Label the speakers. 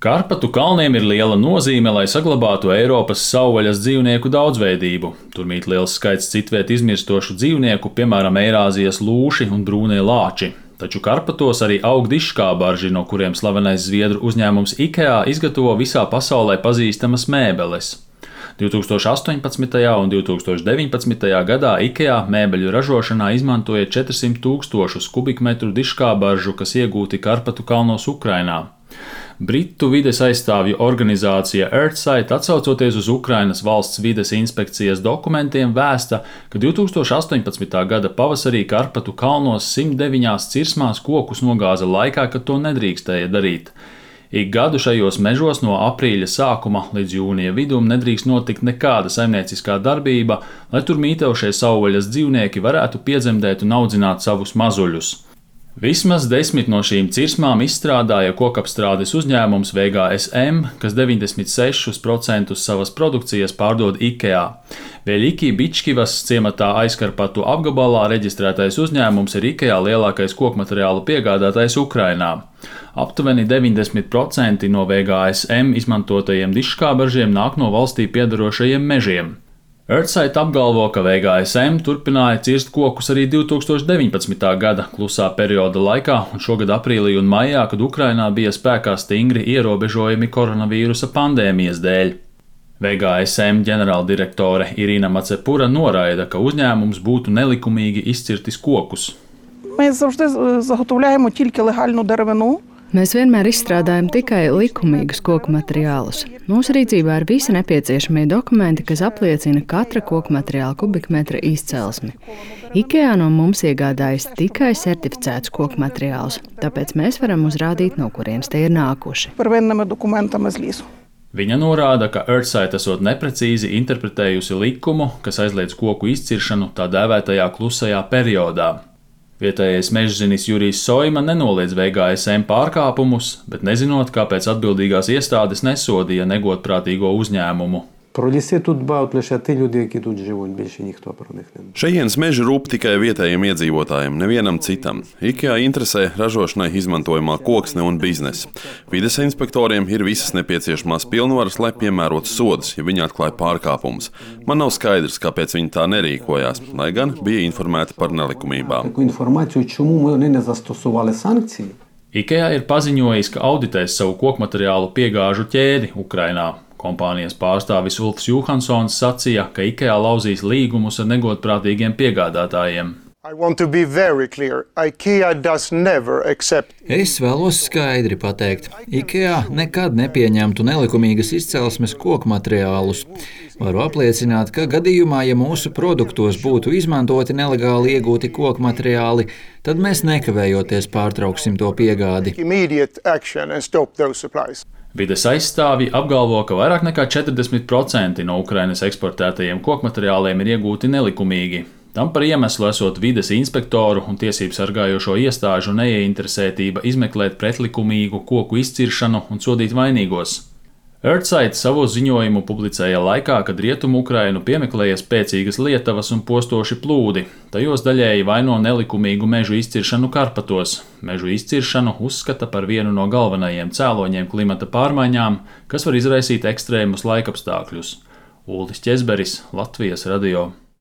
Speaker 1: Karpatu kalniem ir liela nozīme, lai saglabātu Eiropas savvaļas dzīvnieku daudzveidību. Tur mīt liels skaits citviet izmirstošu dzīvnieku, piemēram, Eirāzijas lūši un brūnie lāči. Taču Karpatos arī aug dižskābarži, no kuriem slavenais zviedru uzņēmums IKEA izgatavo visā pasaulē pazīstamas mēbeles. 2018. un 2019. gadā IKEA mēbeļu ražošanā izmantoja 400 000 kubikmetru dižskābaržu, kas iegūti Karpatu kalnos Ukrainā. Britu vides aizstāvju organizācija Earthsight, atsaucoties uz Ukrainas valsts vides inspekcijas dokumentiem, vēsta, ka 2018. gada pavasarī Karpatu kalnos 109 cirsmās kokus nogāza laikā, kad to nedrīkstēja darīt. Ik gadu šajos mežos no aprīļa sākuma līdz jūnija vidum nedrīkst notikt nekāda saimnieciskā darbība, lai tur mītošie savvaļas dzīvnieki varētu piedzemdēt un audzināt savus mazuļus. Vismaz 10 no šīm cirsmām izstrādāja kokapstrādes uzņēmums VGSM, kas 96% savas produkcijas pārdod IKEA. Veļiki Bičkivas ciematā Aizkarpatu apgabalā reģistrētais uzņēmums ir IKEA lielākais kokmateriālu piegādātājs Ukrainā. Aptuveni 90% no VGSM izmantotajiem dižskābaržiem nāk no valstī piedarošajiem mežiem. Earthsight apgalvo, ka VGSM turpināja cirst kokus arī 2019. gada klusā perioda laikā un šogad aprīlī un maijā, kad Ukrainā bija spēkā stingri ierobežojumi koronavīrusa pandēmijas dēļ. VGSM ģenerāldirektore Irina Macepura noraida, ka uzņēmums būtu nelikumīgi izcirtis kokus.
Speaker 2: Mēs завжди заготовляємо тільки легальну деревину.
Speaker 3: Mēs vienmēr izstrādājam tikai likumīgus koku materiālus. Mūsu rīcībā ir visi nepieciešamie dokumenti, kas apliecina katra koku materiāla kubikmetra izcelsmi. IKEA no mums iegādājas tikai certificētus koku materiālus, tāpēc mēs varam uzrādīt, no kurienes tie ir nākuši.
Speaker 2: Первинними документами з лісу.
Speaker 1: Viņa norāda, ka Earthsight esot neprecīzi interpretējusi likumu, kas aizliedz koku izciršanu tā dēvētajā klusajā periodā. Vietējais mežzinis Jurijs Soima nenoliedz VGSM pārkāpumus, bet nezinot, kāpēc atbildīgās iestādes nesodīja negodprātīgo uzņēmumu.
Speaker 4: Про ліси тут дбають лише ті люди, які тут живуть, більше ніхто про них не.
Speaker 5: Šejienes meži rūp tikai vietējiem iedzīvotājiem, nevienam citam. IKEA interesē ražošanai izmantojamā koksne un biznesa. Vides inspektoriem ir visas nepieciešamās pilnvaras, lai piemērotu sodus, ja viņi atklāja pārkāpumus. Man nav skaidrs, kāpēc viņi tā nerīkojās, lai gan bija informēti par nelikumībām.
Speaker 4: Таку інформацію, чому вони не застосували санкції?
Speaker 1: IKEA ir paziņojis, ka auditēs savu kokmateriālu piegāžu ķēdi Ukrainā. Kompānijas pārstāvis Ulfs Johansons sacīja, ka IKEA lauzīs līgumus ar negodprātīgiem piegādātājiem.
Speaker 6: Es vēlos skaidri pateikt, IKEA nekad nepieņemtu nelikumīgas izcelsmes koku materiālus. Varu apliecināt, ka gadījumā, ja mūsu produktos būtu izmantoti nelegāli iegūti koku materiāli, tad mēs nekavējoties pārtrauksim to piegādi.
Speaker 1: Vides aizstāvji apgalvo, ka vairāk nekā 40% no Ukrainas eksportētajiem kokmateriāliem ir iegūti nelikumīgi. Tam par iemeslu esot vides inspektoru un tiesību sargājošo iestāžu neieinteresētība izmeklēt pretlikumīgu koku izciršanu un sodīt vainīgos. Earthsight savu ziņojumu publicēja laikā, kad Rietumu Ukrainu piemeklēja spēcīgas lietavas un postoši plūdi. Tajos daļēji vaino nelikumīgu mežu izciršanu Karpatos. Mežu izciršanu uzskata par vienu no galvenajiem cēloņiem klimata pārmaiņām, kas var izraisīt ekstrēmus laikapstākļus. Uldis Ķezberis, Latvijas radio.